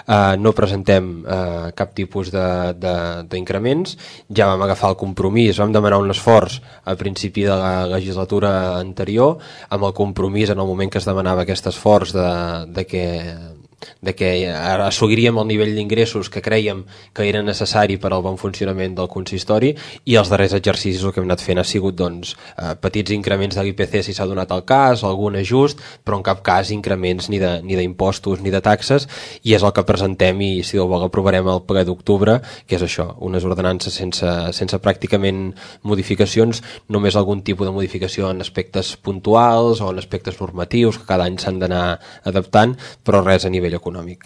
no presentem cap tipus d'increments. Ja vam agafar el compromís, vam demanar un esforç a principi de la legislatura anterior, amb el compromís en el moment que es demanava aquest esforç de que assoliríem el nivell d'ingressos que creiem que era necessari per al bon funcionament del consistori, i els darrers exercicis el que hem anat fent ha sigut petits increments de l'IPC si s'ha donat el cas, algun ajust, però en cap cas increments ni d'impostos ni de taxes, i és el que presentem i si Déu vol aprovarem al ple d'octubre, que és això, unes ordenances sense pràcticament modificacions, només algun tipus de modificació en aspectes puntuals o en aspectes normatius que cada any s'han d'anar adaptant, però res a nivell econòmic.